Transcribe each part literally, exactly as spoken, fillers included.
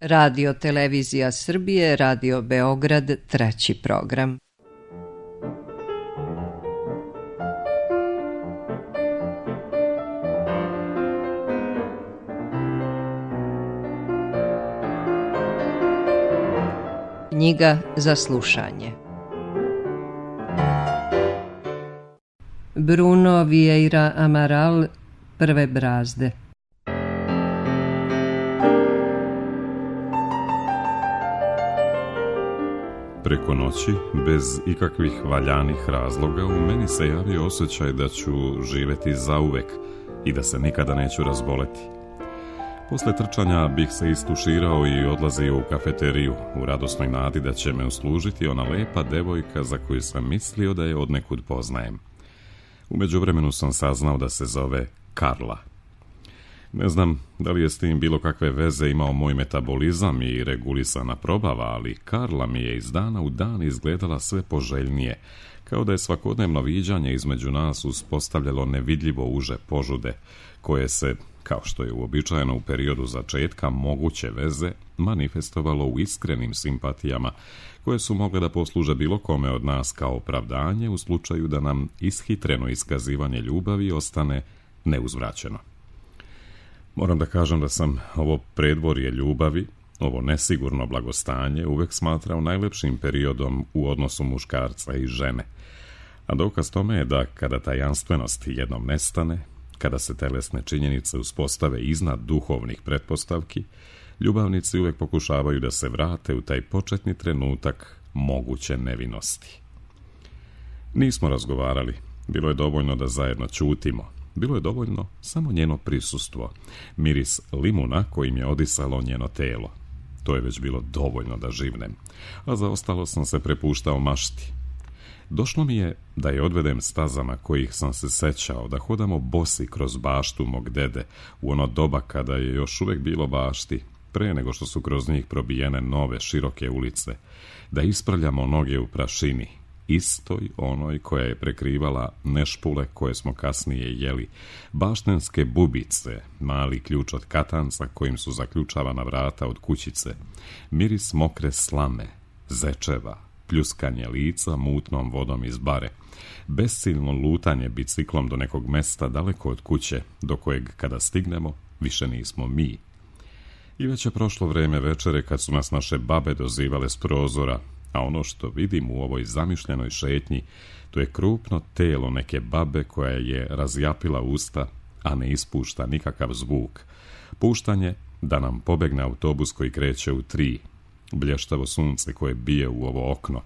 Radio Televizija Srbije, Radio Beograd, treći program. Knjiga za slušanje. Bruno Vieira Amaral, Prve brazde. Preko noći, bez ikakvih valjanih razloga, u meni se javio osjećaj da ću živjeti zauvek i da se nikada neću razboleti. Posle trčanja bih se istuširao i odlazio u kafeteriju u radosnoj nadi da će me uslužiti ona lepa devojka za koju sam mislio da je odnekud poznajem. U međuvremenu sam saznao da se zove Karla. Ne znam da li je s tim bilo kakve veze imao moj metabolizam i regulisana probava, ali Karla mi je iz dana u dan izgledala sve poželjnije, kao da je svakodnevno viđanje između nas uspostavljalo nevidljivo uže požude, koje se, kao što je uobičajeno u periodu začetka moguće veze, manifestovalo u iskrenim simpatijama, koje su mogle da posluže bilo kome od nas kao opravdanje u slučaju da nam ishitreno iskazivanje ljubavi ostane neuzvraćeno. Moram da kažem da sam ovo predvorje ljubavi, ovo nesigurno blagostanje, uvek smatrao najlepšim periodom u odnosu muškarca i žene. A dokaz tome je da kada tajanstvenost jednom nestane, kada se telesne činjenice uspostave iznad duhovnih pretpostavki, ljubavnici uvek pokušavaju da se vrate u taj početni trenutak moguće nevinosti. Nismo razgovarali, bilo je dovoljno da zajedno ćutimo. Bilo je dovoljno samo njeno prisustvo, miris limuna kojim je odisalo njeno telo. To je već bilo dovoljno da živnem, a za ostalo sam se prepuštao mašti. Došlo mi je da je odvedem stazama kojih sam se sećao, da hodamo bosi kroz baštu mog dede u ono doba kada je još uvek bilo bašti, pre nego što su kroz njih probijene nove široke ulice, da ispravljamo noge u prašini, istoj onoj koja je prekrivala nešpule koje smo kasnije jeli, baštenske bubice, mali ključ od katanca kojim su zaključavana vrata od kućice, miris mokre slame, zečeva, pljuskanje lica mutnom vodom iz bare, besciljno lutanje biciklom do nekog mesta daleko od kuće, do kojeg kada stignemo više nismo mi. I već je prošlo vreme večere kad su nas naše babe dozivale s prozora, a ono što vidim u ovoj zamišljenoj šetnji, to je krupno telo neke babe koja je razjapila usta, a ne ispušta nikakav zvuk. Puštanje da nam pobegne autobus koji kreće u tri. Blještavo sunce koje bije u ovo okno,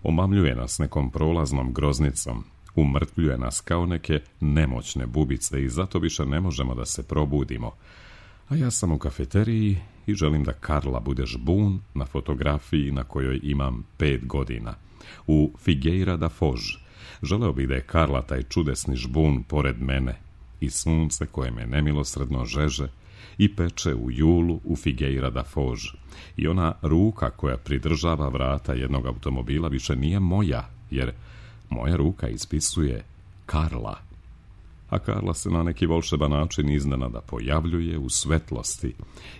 omamljuje nas nekom prolaznom groznicom, umrtvljuje nas kao neke nemoćne bubice i zato više ne možemo da se probudimo. A ja sam u kafeteriji i želim da Karla bude žbun na fotografiji na kojoj imam pet godina. U Figueira da Foz. Želeo bih da je Karla taj čudesni žbun pored mene i sunce koje me nemilosredno žeže i peče u julu u Figueira da Foz. I ona ruka koja pridržava vrata jednog automobila više nije moja, jer moja ruka ispisuje Karla. A Karla se na neki volšeban način iznenada pojavljuje u svetlosti,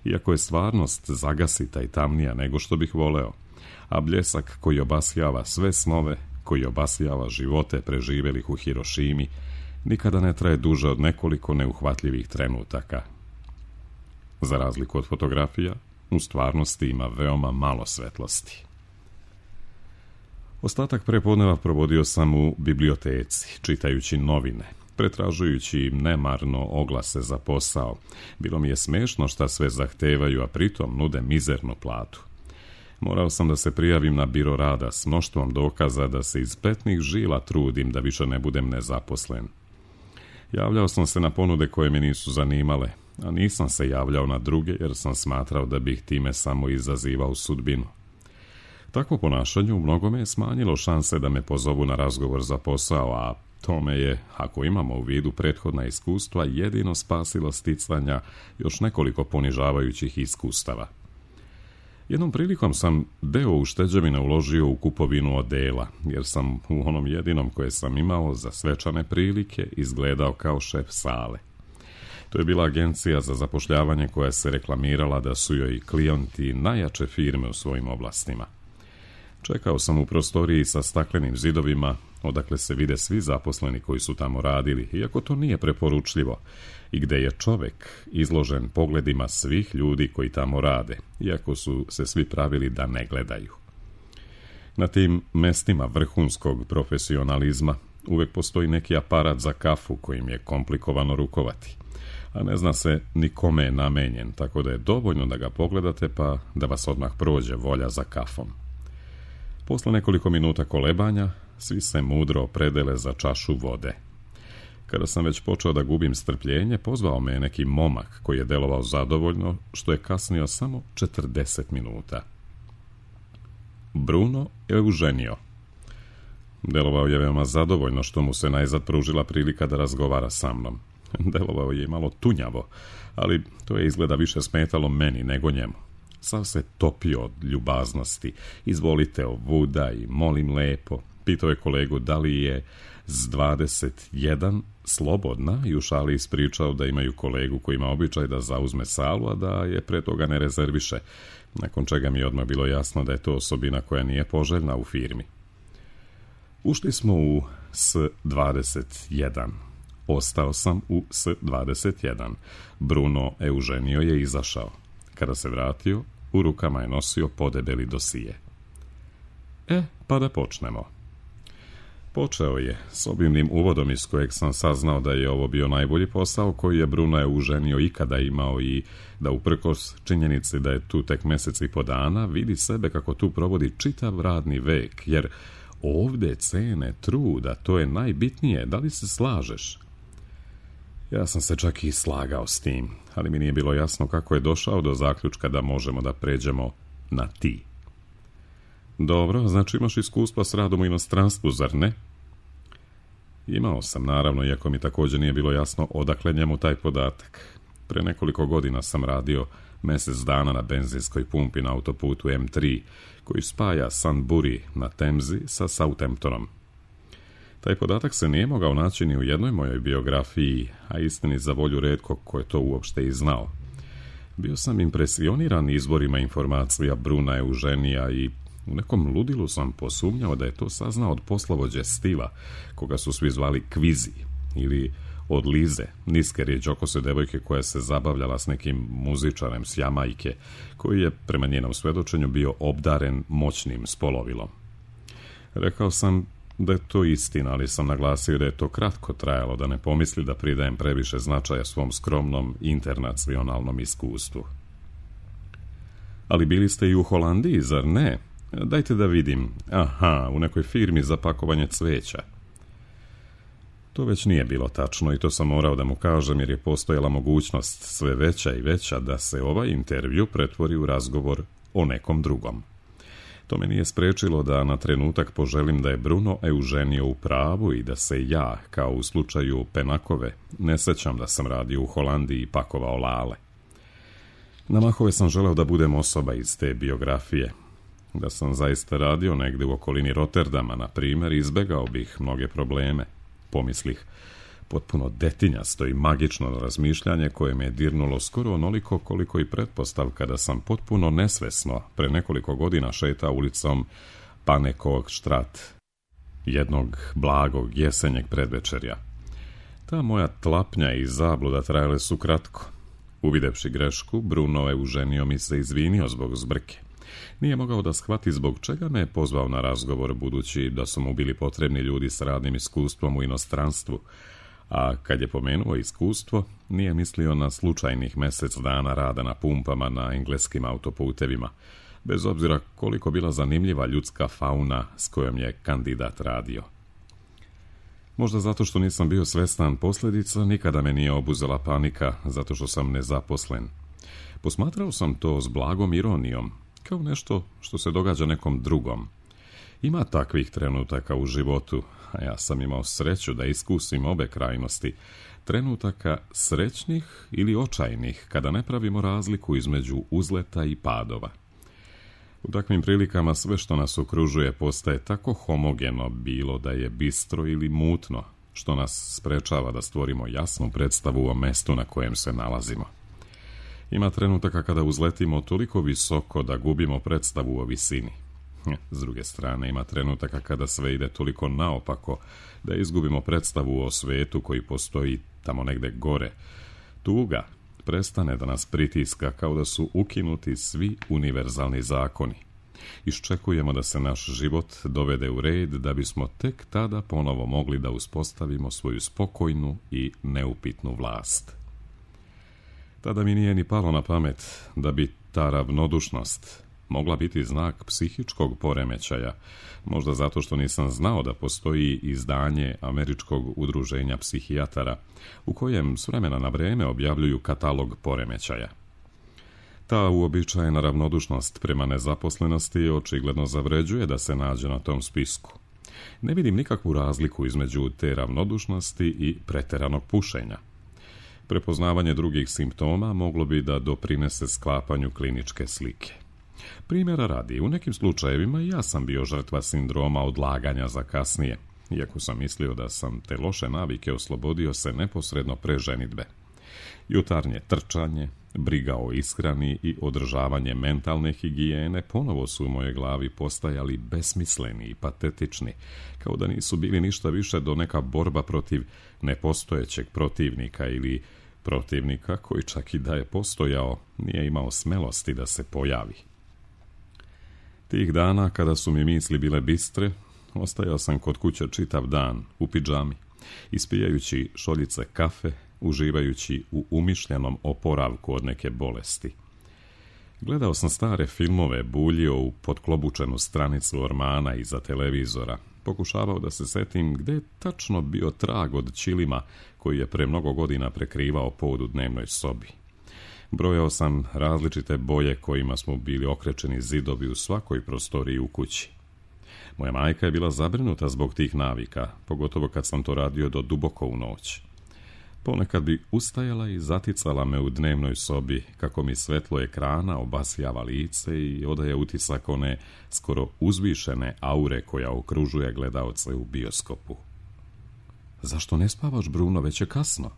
iako je stvarnost zagasita i tamnija nego što bih voleo, a bljesak koji obasjava sve snove, koji obasjava živote preživjelih u Hirošimi, nikada ne traje duže od nekoliko neuhvatljivih trenutaka. Za razliku od fotografija, u stvarnosti ima veoma malo svetlosti. Ostatak prepodneva provodio sam u biblioteci, čitajući novine, pretražujući nemarno oglase za posao. Bilo mi je smešno šta sve zahtevaju, a pritom nude mizernu platu. Morao sam da se prijavim na biro rada s mnoštvom dokaza da se iz petnih žila trudim da više ne budem nezaposlen. Javljao sam se na ponude koje me nisu zanimale, a nisam se javljao na druge jer sam smatrao da bih time samo izazivao sudbinu. Takvo ponašanje u mnogome je smanjilo šanse da me pozovu na razgovor za posao, a tome je, ako imamo u vidu prethodna iskustva, jedino spasilo sticanja još nekoliko ponižavajućih iskustava. Jednom prilikom sam deo ušteđevina uložio u kupovinu odela, jer sam u onom jedinom koje sam imao za svečane prilike izgledao kao šef sale. To je bila agencija za zapošljavanje koja se reklamirala da su joj klijenti najjače firme u svojim oblastima. Čekao sam u prostoriji sa staklenim zidovima, odakle se vide svi zaposleni koji su tamo radili, iako to nije preporučljivo, i gde je čovek izložen pogledima svih ljudi koji tamo rade, iako su se svi pravili da ne gledaju. Na tim mestima vrhunskog profesionalizma uvek postoji neki aparat za kafu kojim je komplikovano rukovati, a ne zna se ni kome je namenjen, tako da je dovoljno da ga pogledate pa da vas odmah prođe volja za kafom. Posle nekoliko minuta kolebanja, svi se mudro opredele za čašu vode. Kada sam već počeo da gubim strpljenje, pozvao me je neki momak koji je delovao zadovoljno, što je kasnio samo četrdeset minuta. Bruno Eugenio. Delovao je veoma zadovoljno što mu se najzad pružila prilika da razgovara sa mnom. Delovao je malo tunjavo, ali to je izgleda više smetalo meni nego njemu. Sav se topio od ljubaznosti. Izvolite ovuda i molim lepo. Pitao je kolegu da li je s dvadeset jedan slobodna i u šali ispričao da imaju kolegu koji ima običaj da zauzme salu, a da je pre toga ne rezerviše, nakon čega mi je odmah bilo jasno da je to osobina koja nije poželjna u firmi. Ušli smo u S dvadeset jedan. Ostao sam u S dvadeset jedan. Bruno Eugenio je izašao. Kada se vratio, u rukama je nosio podebeli dosije. E, pa da počnemo. Počeo je s obimnim uvodom iz kojeg sam saznao da je ovo bio najbolji posao koji je Bruno Eugenio ikada imao i da uprkos činjenici da je tu tek mesec i po dana, vidi sebe kako tu provodi čitav radni vek, jer ovde cene truda, to je najbitnije, da li se slažeš? Ja sam se čak i slagao s tim, ali mi nije bilo jasno kako je došao do zaključka da možemo da pređemo na ti. Dobro, znači imaš iskustva s radom u inostranstvu, zar ne? Imao sam, naravno, iako mi također nije bilo jasno odakle njemu taj podatak. Pre nekoliko godina sam radio mesec dana na benzinskoj pumpi na autoputu M tri, koji spaja Sunbury na Temzi sa Southamptonom. Taj podatak se nije mogao naći ni u jednoj mojoj biografiji, a istini za volju retko ko je to uopšte i znao. Bio sam impresioniran izvorima informacija Bruna Eugenija i u nekom ludilu sam posumnjao da je to saznao od poslovođe Stiva, koga su svi zvali Kvizi, ili od Lize, niske rijeđokose devojke koja se zabavljala s nekim muzičarem s Jamajke, koji je, prema njenom svedočenju, bio obdaren moćnim spolovilom. Rekao sam da je to istina, ali sam naglasio da je to kratko trajalo, da ne pomisli da pridajem previše značaja svom skromnom internacionalnom iskustvu. Ali bili ste i u Holandiji, zar ne? Dajte da vidim. Aha, u nekoj firmi za pakovanje cveća. To već nije bilo tačno i to sam morao da mu kažem jer je postojala mogućnost sve veća i veća da se ovaj intervju pretvori u razgovor o nekom drugom. To me nije sprečilo da na trenutak poželim da je Bruno Eugenio u pravu i da se ja, kao u slučaju Penakove, ne sećam da sam radio u Holandiji i pakovao lale. Na mahove sam želeo da budem osoba iz te biografije. Da sam zaista radio negde u okolini Rotterdama, na primjer, izbegao bih mnoge probleme. Pomislih, potpuno detinjasto i magično razmišljanje koje me je dirnulo skoro onoliko koliko i pretpostavka da sam potpuno nesvesno pre nekoliko godina šetao ulicom Panekog štrat, jednog blagog jesenjeg predvečerja. Ta moja tlapnja i zabluda trajale su kratko. Uvidevši grešku, Bruno Eugenio mi se izvinio zbog zbrke. Nije mogao da shvati zbog čega me je pozvao na razgovor, budući da su mu bili potrebni ljudi s radnim iskustvom u inostranstvu, a kad je pomenuo iskustvo, nije mislio na slučajnih mesec dana rada na pumpama na engleskim autoputevima, bez obzira koliko bila zanimljiva ljudska fauna s kojom je kandidat radio. Možda zato što nisam bio svestan posljedica, nikada me nije obuzela panika zato što sam nezaposlen. Posmatrao sam to s blagom ironijom, kao nešto što se događa nekom drugom. Ima takvih trenutaka u životu, a ja sam imao sreću da iskusim obe krajnosti, trenutaka srećnih ili očajnih, kada ne pravimo razliku između uzleta i padova. U takvim prilikama sve što nas okružuje postaje tako homogeno, bilo da je bistro ili mutno, što nas sprečava da stvorimo jasnu predstavu o mestu na kojem se nalazimo. Ima trenutaka kada uzletimo toliko visoko da gubimo predstavu o visini. S druge strane, ima trenutaka kada sve ide toliko naopako da izgubimo predstavu o svetu koji postoji tamo negde gore. Tuga prestane da nas pritiska kao da su ukinuti svi univerzalni zakoni. Iščekujemo da se naš život dovede u red da bismo tek tada ponovo mogli da uspostavimo svoju spokojnu i neupitnu vlast. Tada mi nije ni palo na pamet da bi ta ravnodušnost mogla biti znak psihičkog poremećaja, možda zato što nisam znao da postoji izdanje Američkog udruženja psihijatara, u kojem s vremena na vreme objavljuju katalog poremećaja. Ta uobičajena ravnodušnost prema nezaposlenosti očigledno zavređuje da se nađe na tom spisku. Ne vidim nikakvu razliku između te ravnodušnosti i preteranog pušenja. Prepoznavanje drugih simptoma moglo bi da doprinese sklapanju kliničke slike. Primjera radi, u nekim slučajevima ja sam bio žrtva sindroma odlaganja za kasnije, iako sam mislio da sam te loše navike oslobodio se neposredno pre ženidbe. Jutarnje trčanje, briga o ishrani i održavanje mentalne higijene ponovo su u mojoj glavi postajali besmisleni i patetični, kao da nisu bili ništa više do neka borba protiv nepostojećeg protivnika ili protivnika koji čak i da je postojao nije imao smelosti da se pojavi. Tih dana, kada su mi misli bile bistre, ostajao sam kod kuće čitav dan, u pidžami, ispijajući šoljice kafe, uživajući u umišljenom oporavku od neke bolesti. Gledao sam stare filmove, buljio u potklobučenu stranicu ormana iza televizora, pokušavao da se setim gde je tačno bio trag od ćilima koji je pre mnogo godina prekrivao pod u dnevnoj sobi. Brojao sam različite boje kojima smo bili okrečeni zidovi u svakoj prostoriji u kući. Moja majka je bila zabrinuta zbog tih navika, pogotovo kad sam to radio do duboko u noć. Ponekad bi ustajala i zaticala me u dnevnoj sobi kako mi svetlo ekrana obasjava lice i odaje utisak one skoro uzvišene aure koja okružuje gledaoce u bioskopu. Zašto ne spavaš, Bruno, već je kasno?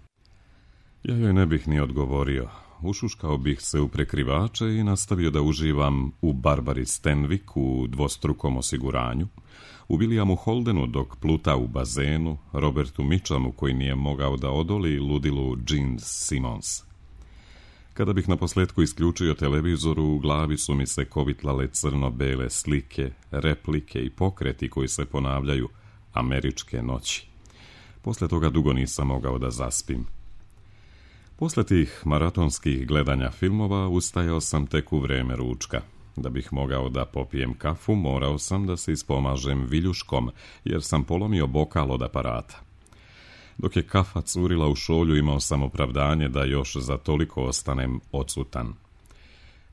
Ja joj ne bih ni odgovorio. Ušuškao bih se u prekrivače i nastavio da uživam u Barbari Stanwyck u dvostrukom osiguranju, u Williamu Holdenu dok pluta u bazenu, Robertu Mitchumu koji nije mogao da odoli ludilu Gene Simmons. Kada bih na posletku isključio televizor, u glavi su mi se kovitlale crno-bele slike, replike i pokreti koji se ponavljaju američke noći. Posle toga dugo nisam mogao da zaspim. Posle tih maratonskih gledanja filmova ustajao sam tek u vreme ručka. Da bih mogao da popijem kafu, morao sam da se ispomažem viljuškom, jer sam polomio bokal od aparata. Dok je kafa curila u šolju, imao sam opravdanje da još za toliko ostanem odsutan.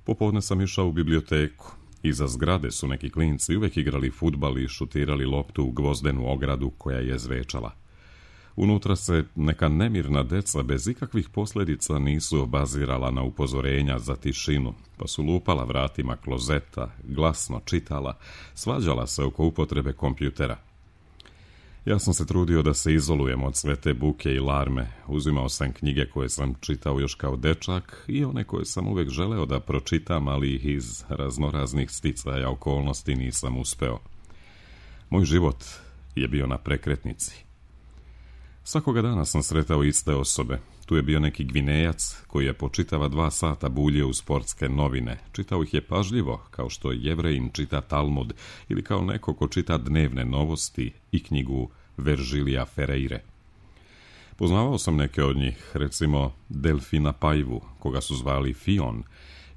Popodne sam išao u biblioteku. Iza zgrade su neki klinci uvek igrali fudbal i šutirali loptu u gvozdenu ogradu koja je zvečala. Unutra se neka nemirna deca bez ikakvih posljedica nisu obazirala na upozorenja za tišinu, pa su lupala vratima klozeta, glasno čitala, svađala se oko upotrebe kompjutera. Ja sam se trudio da se izolujem od sve te buke i larme, uzimao sam knjige koje sam čitao još kao dečak i one koje sam uvek želeo da pročitam, ali ih iz raznoraznih sticaja okolnosti nisam uspeo. Moj život je bio na prekretnici. Svakoga dana sam sretao iste osobe. Tu je bio neki Gvinejac koji je po čitava dva sata buljio u sportske novine. Čitao ih je pažljivo, kao što Jevrejin čita Talmud ili kao neko ko čita dnevne novosti i knjigu Veržilija Ferreire. Poznavao sam neke od njih, recimo Delfina Paivu, koga su zvali Fion,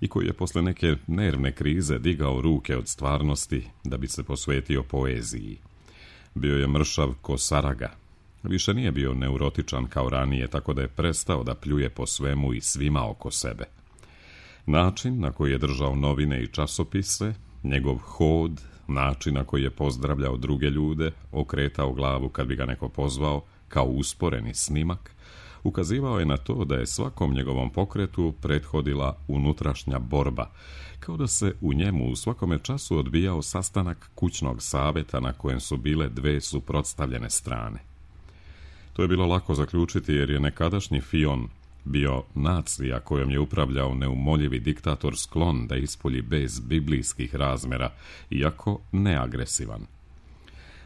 i koji je posle neke nervne krize digao ruke od stvarnosti da bi se posvetio poeziji. Bio je mršav ko Saraga. Više nije bio neurotičan kao ranije, tako da je prestao da pljuje po svemu i svima oko sebe. Način na koji je držao novine i časopise, njegov hod, način na koji je pozdravljao druge ljude, okretao glavu kad bi ga neko pozvao, kao usporeni snimak, ukazivao je na to da je svakom njegovom pokretu prethodila unutrašnja borba, kao da se u njemu u svakome času odbijao sastanak kućnog saveta na kojem su bile dve suprotstavljene strane. To je bilo lako zaključiti jer je nekadašnji Fion bio nacija kojom je upravljao neumoljivi diktator sklon da ispolji bez biblijskih razmjera, iako neagresivan.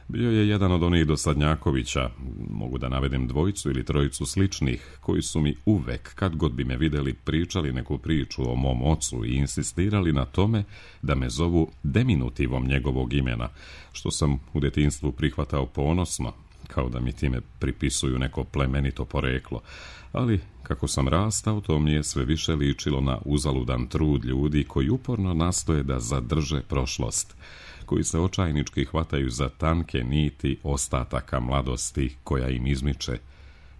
Bio je jedan od onih dosadnjakovića, mogu da navedem dvojicu ili trojicu sličnih, koji su mi uvek, kad god bi me vidjeli, pričali neku priču o mom ocu i insistirali na tome da me zovu diminutivom njegovog imena, što sam u djetinjstvu prihvatao ponosno, kao da mi time pripisuju neko plemenito poreklo, ali kako sam rastao, to mi je sve više ličilo na uzaludan trud ljudi koji uporno nastoje da zadrže prošlost, koji se očajnički hvataju za tanke niti ostataka mladosti koja im izmiče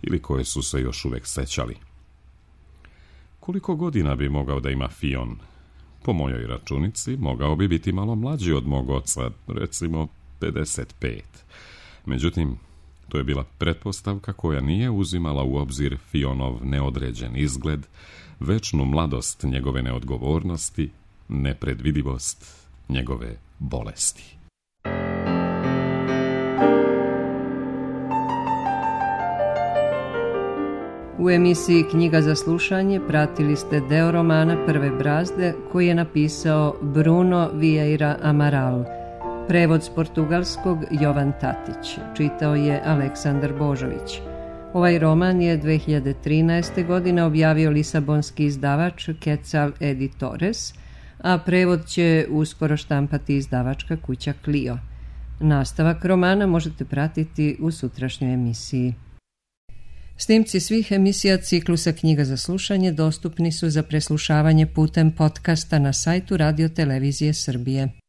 ili koje su se još uvek sećali. Koliko godina bi mogao da ima Fion? Po mojoj računici mogao bi biti malo mlađi od mog oca, recimo pedeset pet. Međutim, to je bila pretpostavka koja nije uzimala u obzir Fionov neodređen izgled, večnu mladost njegove neodgovornosti, nepredvidivost njegove bolesti. U emisiji Knjiga za slušanje pratili ste deo romana Prve brazde koji je napisao Bruno Vieira Amaral. Prevod s portugalskog Jovan Tatić. Čitao je Aleksandar Božović. Ovaj roman je dve hiljade trinaeste. godine objavio lisabonski izdavač Quetzal Editores, a prevod će uskoro štampati izdavačka kuća Clio. Nastavak romana možete pratiti u sutrašnjoj emisiji. Snimci svih emisija ciklusa Knjiga za slušanje dostupni su za preslušavanje putem podcasta na sajtu Radio Televizije Srbije.